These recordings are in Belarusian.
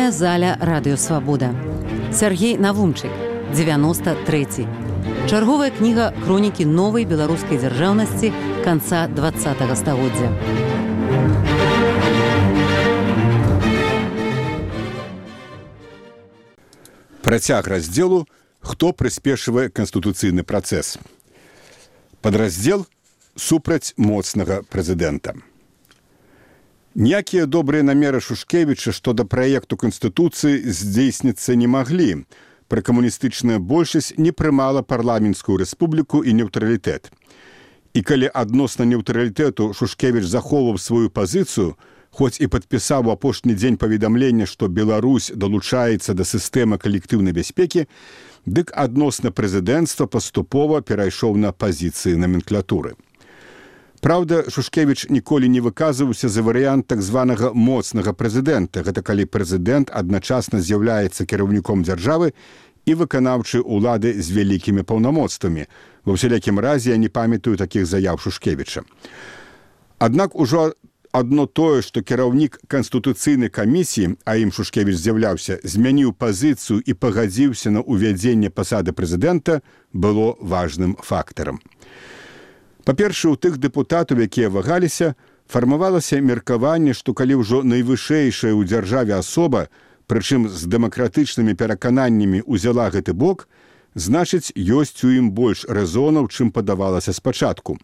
Чытальная заля радыёвабода. Сяргей Навумчык, 93. Чарговая кніга хронікі новай беларускай дзяржаўнасці канца 20-го стагоддзя. Працяг раздзелу «Хто прыспешвае канстытуцыйны працэс». Падраздзел «Супраць моцнага прэзідэнта». Ніякія добрыя намеры Шушкевіча што да праекту Канстытуцыі здзейсніцца не маглі. Пракамуністычная большасць не прымала парламенцкую рэспубліку і неўтралітэт. І калі адносна неўтралітэту Шушкевіч захоўваў сваю пазіцыю, хоць і падпісаў у апошні дзень паведамлення, што Беларусь далучаецца да сістэмы калектыўнай бяспекі, дык адносна прэзідэнцтва паступова перайшоў на пазіцыі наменклатуры. Праўда, Шушкевіч ніколі не выказваўся за варыянт так званага моцнага прэзідэнта. Гэта калі прэзідэнт адначасна з'яўляецца кіраўніком дзяржавы і выканаўчай улады з вялікімі паўнамоцтвамі. Ва ўсялякім разе я не памятаю такіх заяў Шушкевіча. Аднак ужо адно тое, што кіраўнік Канстытуцыйнай камісіі, а ім Шушкевіч з'яўляўся, змяніў пазіцыю і пагадзіўся на ўвядзенне пасады прэзідэнта, было важным фактарам. Па-першае, у тых дэпутатаў, якія вагаліся, фармавалася меркаванне, што калі ўжо найвышэйшая ў дзяржаве асоба, прычым з дэмакратычнымі перакананнямі ўзяла гэты бок, значыць, ёсць у ім больш рэзонаў, чым падавалася спачатку.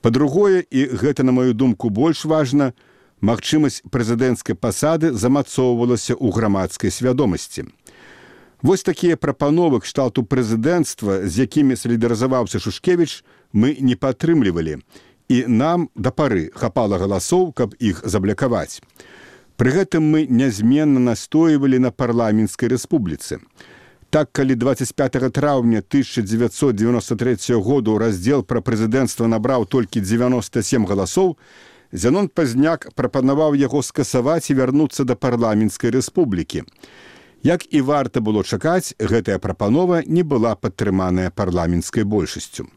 Па-другое, і гэта, на маю думку, больш важна, магчымасць прэзідэнцкай пасады замацоўвалася ў грамадскай свядомасці. Вось такія прапановы кшталту прэзідэнцтва, з якімі салідарызаваўся Шушкевіч, мы не падтрымлівалі, і нам да пары хапала галасоў, каб іх заблякаваць. Пры гэтым мы нязменна настойвалі на парламенцкай рэспубліцы. Так, калі 25 траўня 1993 году раздзел пра прэзідэнцтва набраў толькі 97 галасоў, Зянон Пазняк прапанаваў яго скасаваць і вярнуцца да парламенцкай рэспублікі. Як і варта было чакаць, гэтая прапанова не была падтрыманая парламенцкай большасцю.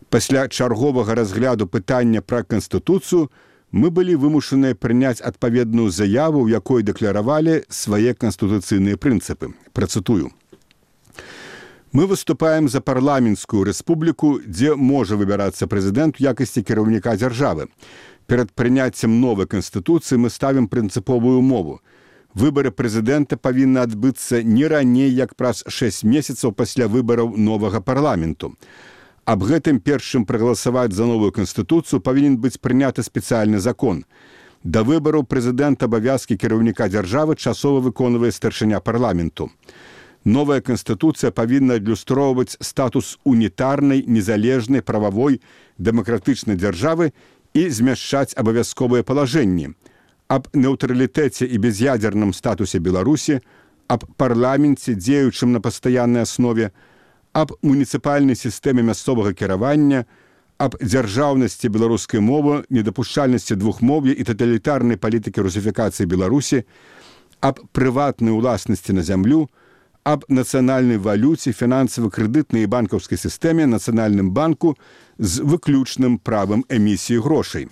Пасля чарговага разгляду пытання пра Канстытуцыю мы былі вымушаныя прыняць адпаведную заяву, у якой дэкларавалі свае канстытуцыйныя прынцыпы. Працытую. Мы выступаем за парламенцкую рэспубліку, дзе можа выбірацца прэзідэнт у якасці кіраўніка дзяржавы. Перад прыняццем новай канстытуцыі мы ставім прынцыповую умову. Выбары прэзідэнта павінны адбыцца не раней, як праз 6 месяцаў пасля выбараў новага парламенту. Аб гэтым першым прагаласаваць за новую канстытуцыю павінен быць прыняты спецыяльны закон. Да выбараў прэзідэнта абавязкі кіраўніка дзяржавы часова выконвае старшыня парламенту. Новая канстытуцыя павінна адлюстроўваць статус унітарнай, незалежнай, прававой, дэмакратычнай дзяржавы і змяшчаць абавязковыя палажэнні аб нейтралітэце і без'ядзерным статусе Беларусі, аб парламенце, дзеючым на пастаяннай аснове, аб муніцыпальнай сістэме мясцовага кіравання, аб дзяржаўнасці беларускай мовы, недапушчальнасці двухмоўя і таталітарнай палітыкі русіфікацыі Беларусі, аб прыватнай уласнасці на зямлю, аб нацыянальнай валюце, фінансава-крэдытнай і банкаўскай сістэме, нацыянальным банку з выключным правам эмісіі грошай,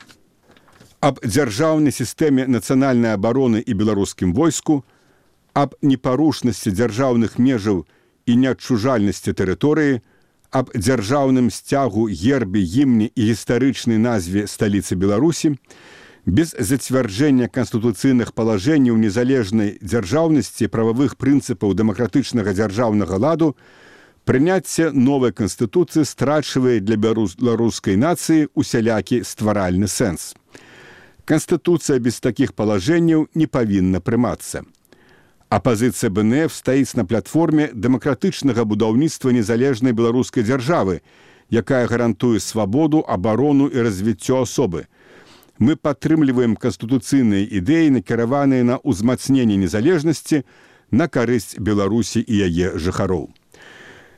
аб дзяржаўнай сістэме нацыянальнай абароны і беларускім войску, аб непарушнасці дзяржаўных межаў і неадчужальнасці тэрыторыі, аб дзяржаўным сцягу, гербе, гімне і гістарычнай назве сталіцы Беларусі, без зацвярджэння канстытуцыйных палажэнняў незалежнай дзяржаўнасці, прававых прынцыпаў дэмакратычнага дзяржаўнага ладу, прыняцце новай канстытуцыі страчвае для беларускай нацыі усялякі стваральны сэнс. Канстытуцыя без такіх палажэнняў не павінна прымацца. Апазіцыя БНФ стаіць на платформе дэмакратычнага будаўніцтва незалежнай беларускай дзяржавы, якая гарантуе свабоду, абарону і развіццё асобы. Мы падтрымліваем канстытуцыйныя ідэі, накіраваныя на ўзмацненне незалежнасці на карысць Беларусі і яе жыхароў.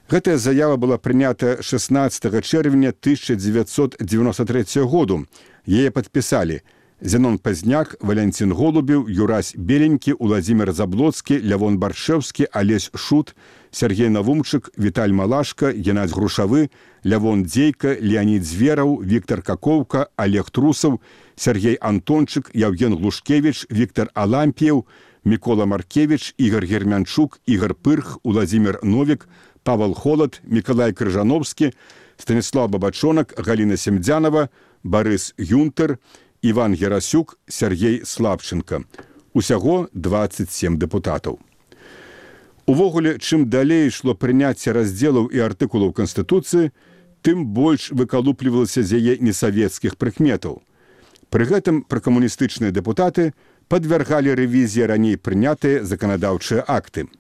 Гэтая заява была прынята 16 чэрвеня 1993 году. Яе падпісалі Зянон Пазняк, Валянцін Голубеў, Юрась Беленькі, Уладзімір Заблоцкі, Лявон Баршэўскі, Алесь Шут, Сяргей Навумчык, Віталь Малашка, Геннадзь Грушавы, Лявон Дзейка, Леонід Звераў, Віктор Какоўка, Олег Трусаў, Сергей Антончык, Яўген Глушкевіч, Віктор Алампіеў, Мікола Маркевіч, Ігор Гермянчук, Ігор Пырх, Уладзімір Новік, Павел Холод, Мікалай Крыжановскі, Станіслав Бабачонак, Галіна Семдзянова, Барыс Юнтер, Іван Герасюк, Сергей Слабченко. Усяго 27 дэпутатаў. Увогуле, чым далей ішло прыняцце раздзелаў і артыкулаў Канстытуцыі, тым больш выкалуплівалася з яе несавецкіх прыкметаў. Пры гэтым пракамуністычныя дэпутаты падвяргалі рэвізіі раней прынятыя заканадаўчыя акты.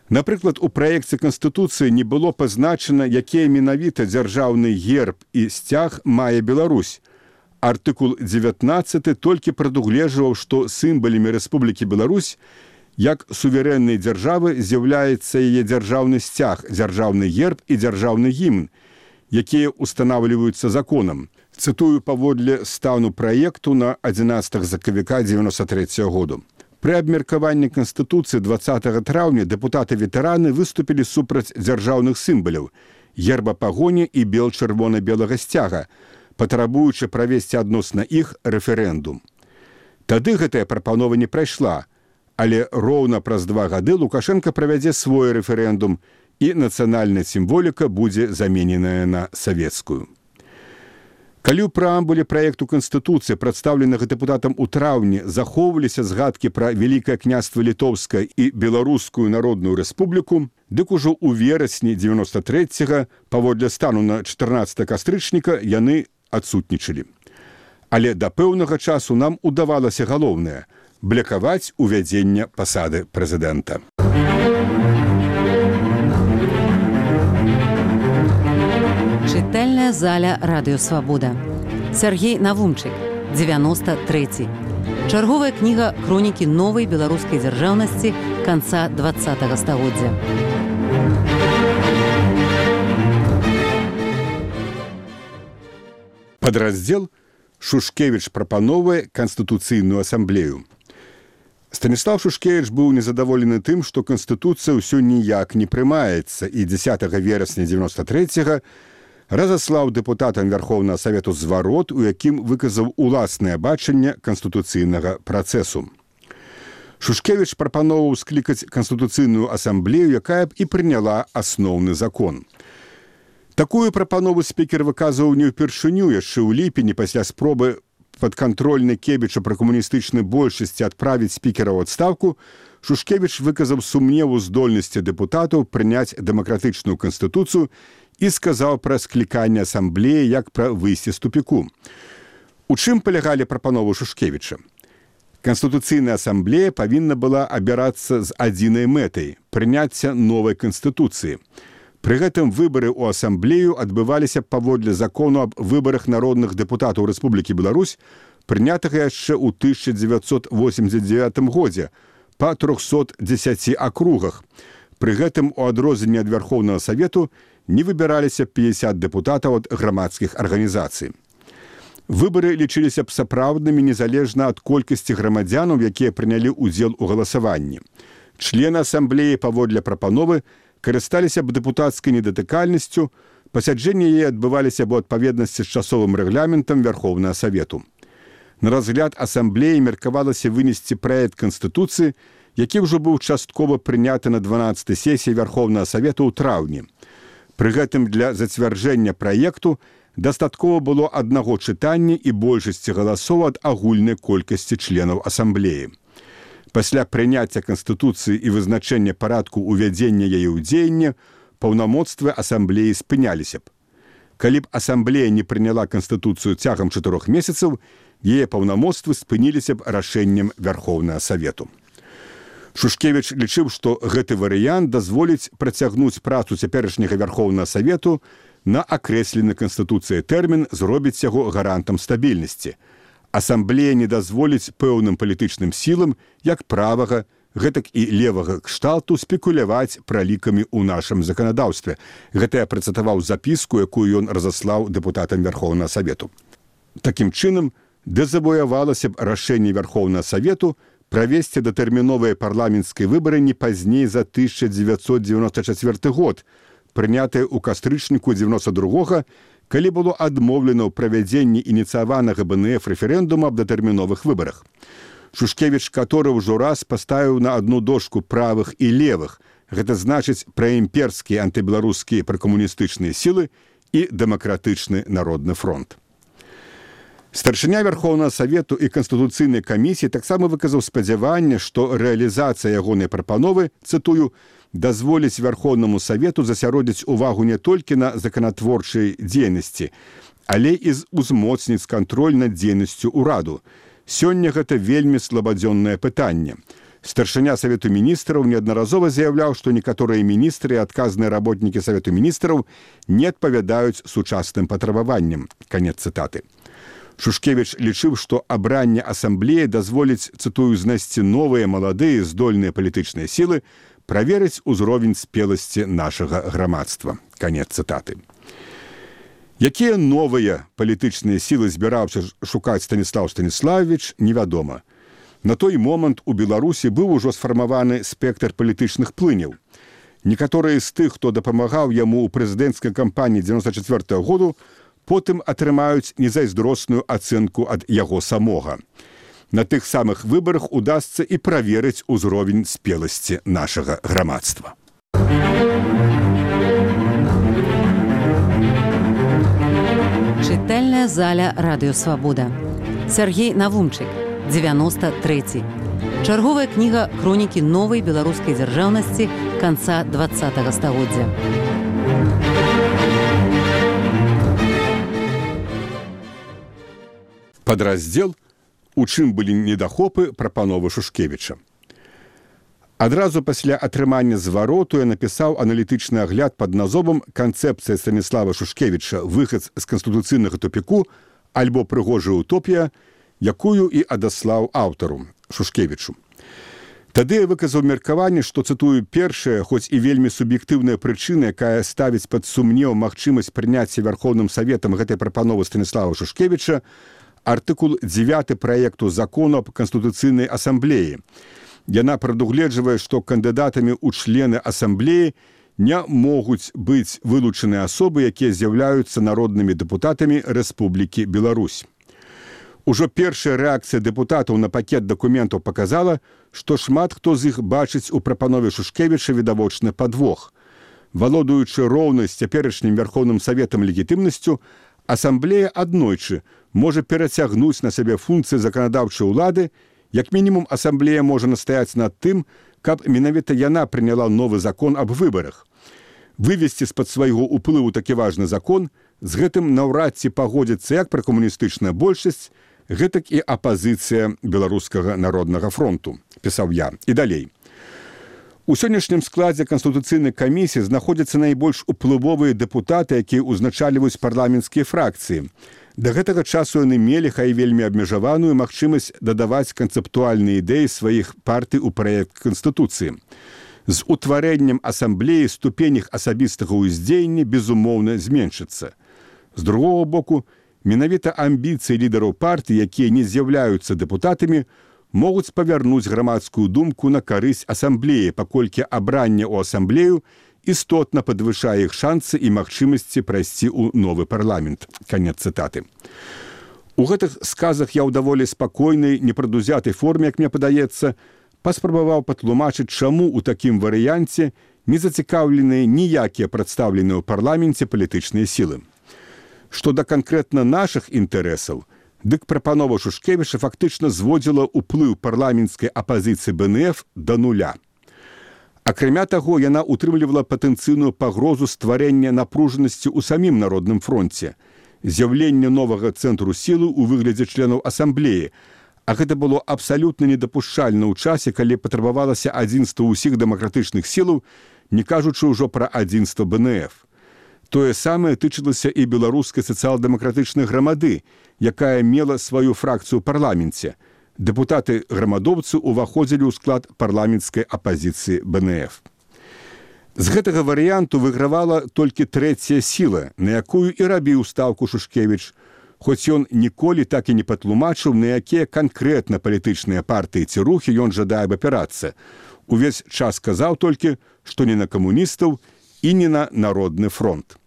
Напрыклад, у праекце Канстытуцыі не было пазначана, якія менавіта дзяржаўны герб і сцяг мае Беларусь. Артыкул 19 толькі прадугледжваў, што сімваламі Рэспублікі Беларусь як суверэннай дзяржавы з'яўляецца яе дзяржаўны сцяг, дзяржаўны герб і дзяржаўны гімн, якія устанаўліваюцца законам. Цытую паводле стану праекту на 11 сакавіка 1993 году. Пры абмеркаванні Канстытуцыі 20 траўня дэпутаты-ветэраны выступілі супраць дзяржаўных сімваляў, герба пагоні і бел-чырвона-белага сцяга, патрабуючы правесці адносна іх рэферэндум. Тады гэтая прапанова не прайшла, але роўна праз 2 гады Лукашенко правядзе свой рэферэндум, і нацыянальная сімволіка будзе замененая на савецкую. Калі ў прэамбуле праекту Канстытуцыі, прадстаўленага дэпутатам у траўні, захоўваліся згадкі пра Вялікае княства Літоўскае і Беларускую народную рэспубліку, дык ужо ў верасні 93-го, паводле стану на 14 кастрычніка, яны адсутнічалі. Але да пэўнага часу нам удавалася галоўнае – блякаваць увядзення пасады прэзідэнта. Чытальная заля Радыё Свабода. Сергей Навумчык, 93. Чарговая кніга хронікі новай беларускай дзяржаўнасці канца 20-го стагоддзя. Падраздзел Шушкевіч прапановвае Канстытуцыйную асамблею. Станіслав Шушкевіч быў незадаволены тым, што Канстытуцыя ўсё ніяк не прымаецца, і 10 верасня 93-го разаслаў дэпутатам Верхоўнага Савету зварот, у якім выказаў уласнае бачанне канстытуцыйнага працэсу. Шушкевіч прапановваў склікаць Канстытуцыйную асамблею, якая б і прыняла асноўны закон. Такую прапанову спікер выказваў не ўпершыню, яшчэ ў ліпені пасля спробы падкантрольнай Кебіча пры камуністычнай большасці адправіць спікера ў адстаўку, Шушкевіч выказаў сумневу здольнасці дэпутатаў прыняць дэмакратычную канстытуцыю і сказаў пра скліканне асамблеі як пра выйсце з тупіку. У чым палягалі прапановы Шушкевіча? Канстытуцыйная асамблея павінна была абірацца з адзінай мэтай – прыняцця новай канстытуцыі. Пры гэтым выбары ў асамблею адбываліся паводле закону аб выбарах народных дэпутатаў Рэспублікі Беларусь, прынятага яшчэ ў 1989 годзе па 310 акругах. Пры гэтым у адрозненне ад Верхоўнага Савету не выбіраліся 50 дэпутатаў ад грамадскіх арганізацый. Выбары лічыліся б сапраўднымі незалежна ад колькасці грамадзянаў, якія прынялі ўдзел у галасаванні. Члены асамблеі паводле прапановы карысталіся б дэпутацкай недатыкальнасцю, пасяджэнні яе адбываліся б у адпаведнасці з часовым рэгламентам Верхоўнага Савету. На разгляд асамблеі меркавалася вынесці праект Канстытуцыі, які ўжо быў часткова прыняты на 12-й сесіі Верхоўнага Савету ў траўні. Пры гэтым для зацвярджэння праекту дастаткова было аднаго чытання і большасці галасоў ад агульнай колькасці членаў асамблеі. Пасля прыняцця Канстытуцыі і вызначэння парадку ўвядзення яе ў дзеянне, паўнамоцтвы асамблеі спыняліся б. Калі б асамблея не прыняла Канстытуцыю цягам 4 месяцаў, яе паўнамоцтвы спыніліся б рашэннем Верхоўнага Савету. Шушкевіч лічыў, што гэты варыянт дазволіць працягнуць працу цяперашняга Верхоўнага Савету на акрэслены Канстытуцыяй тэрмін, зробіць яго гарантам стабільнасці. Асамблея не дазволіць пэўным палітычным сілам, як правага, гэтак і левага кшталту спекуляваць пралікамі ў нашым заканадаўстве. Гэта я працытаваў запіску, якую ён разаслаў дэпутатам Верхоўнага Савету. Такім чынам, дэзавуявалася б рашэнне Верхоўнага Савету правесці датэрміновыя парламенцкія выбары не пазней за 1994 год, прынятыя ў кастрычніку 92-го, калі было адмоўлена ў правядзенні ініцыяванага БНФ рэферэндума аб датэрміновых выбарах. Шушкевіч, который ўжо раз паставіў на одну дошку правых і левых. Гэта значыць праімперскія антыбеларускія пракамуністычныя сілы і дэмакратычны народны фронт. Старшыня Верховнага Савету і Канстытуцыйнай камісіі таксама выказаў спадзяванне, што рэалізацыя ягонай прапановы, цытую, дазволіць Верховнаму Савету засяродзіць увагу не толькі на законатворчай дзейнасці, але і узмоцніць кантроль над дзейнасцю ўраду. Сёння гэта вельмі слабадзённае пытанне. Старшыня Савету міністраў неаднаразова заяўляў, што некаторыя міністры і адказныя работнікі Савету міністраў не адпавядаюць сучасным патрабаванням. Канец цытаты. Шушкевіч лічыў, што абранне асамблеі дазволіць, цытую, знайсці новыя, маладыя, здольныя палітычныя сілы, праверыць узровень спеласці нашага грамадства. Канец цытаты. Якія новыя палітычныя сілы збіраўся шукаць Станіслаў Станіславович, невядома. На той момант у Беларусі быў ужо сфармаваны спектр палітычных плыняў. Некаторыя з тых, хто дапамагаў яму ў прэзідэнцкай кампаніі 1994 году, потым атрымаюць незайздросную ацэнку ад яго самога. На тых самых выбарах удасца і праверыць узровень спеласці нашага грамадства. Чытальная заля Радыё Свабода. Сергей Навумчык, 93. Чарговая кніга хронікі новай беларускай дзяржаўнасці канца 20-го стагоддзя. Падраздзел, у чым былі недахопы прапановы Шушкевіча. Адразу пасля атрымання звароту я напісаў аналітычны агляд пад назовам «Канцэпцыя Станіслава Шушкевіча. Выхад з канстытуцыйнага тупіку» альбо «Прыгожая утопія», якую і адаслаў аўтару Шушкевічу. Тады я выказаў меркаванне, што, цытую, першая, хоць і вельмі суб'ектыўная прычына, якая ставіць пад сумнеў магчымасць прыняцця Верховным Саветам гэтай прапановы Станіслава Шушкевіча, артыкул 9 праекту закону аб Канстытуцыйнай асамблеі. Яна прадугледжвае, што кандыдатамі ў члены асамблеі не могуць быць вылучаныя асобы, якія з'яўляюцца народнымі дэпутатамі Рэспублікі Беларусь. Ужо першая рэакцыя дэпутатаў на пакет дакументаў паказала, што шмат хто з іх бачыць у прапанове Шушкевіча відавочны падвох. Валодаючы роўнай з цяперашнім Верховным Саветам легітымнасцю, асамблея аднойчы можа перацягнуць на сябе функцыі заканадаўчай улады. Як мінімум, асамблея можа настаяць над тым, каб менавіта яна прыняла новы закон аб выбарах. Вывесці з-пад свайго ўплыву такі важны закон, з гэтым наўрад ці пагодзіцца як пракамуністычная большасць, гэтак і апазіцыя Беларускага народнага фронту, пісаў я. І далей. У сённяшнім складзе Канстытуцыйнай камісіі знаходзяцца найбольш уплывовыя дэпутаты, якія ўзначальваюць парламенцкія фракцыі. Да гэтага часу яны мелі, хай вельмі абмежаваную магчымасць дадаваць канцэптуальныя ідэі сваіх партый у праект Канстытуцыі. З утварэннем асамблеі ступень іх асабістага ўздзеяння, безумоўна, зменшыцца. З другога боку, менавіта амбіцыі лідараў партый, якія не з'яўляюцца дэпутатамі, могуць павярнуць грамадскую думку на карысць асамблеі, паколькі абранне ў асамблею істотна падвышае іх шансы і магчымасці прайсці ў новы парламент. Канец цытаты. У гэтых сказах я ў даволі спакойнай, непрадузятай форме, як мне падаецца, паспрабаваў патлумачыць, чаму ў такім варыянце не зацікаўленыя ніякія прадстаўленыя ў парламенце палітычныя сілы. Што да канкрэтна нашых інтарэсаў, дык прапанова Шушкевіча фактычна зводзіла ўплыў парламенцкай апазіцыі БНФ да нуля. Акрамя таго, яна ўтрымлівала патэнцыйную пагрозу стварэння напружанасці ў самім народным фронце, з'яўлення новага цэнтру сілы ў выглядзе членаў асамблеі, а гэта было абсалютна недапушчальна ў часе, калі патрабавалася адзінства ўсіх дэмакратычных сілаў, не кажучы ўжо пра адзінства БНФ. Тое самае тычылася і беларускай сацыял-дэмакратычнай грамады, якая мела сваю фракцыю ў парламенце. Дэпутаты-грамадоўцы ўваходзілі ў склад парламенцкай апазіцыі БНФ. З гэтага варыянту выйгравала толькі трэцяя сіла, на якую і рабіў стаўку Шушкевіч, хоць ён ніколі так і не патлумачыў, на якія канкрэтна палітычныя партыі ці рухі ён жадае абапірацца. Увесь час казаў толькі, што не на камуністаў і не на народны фронт.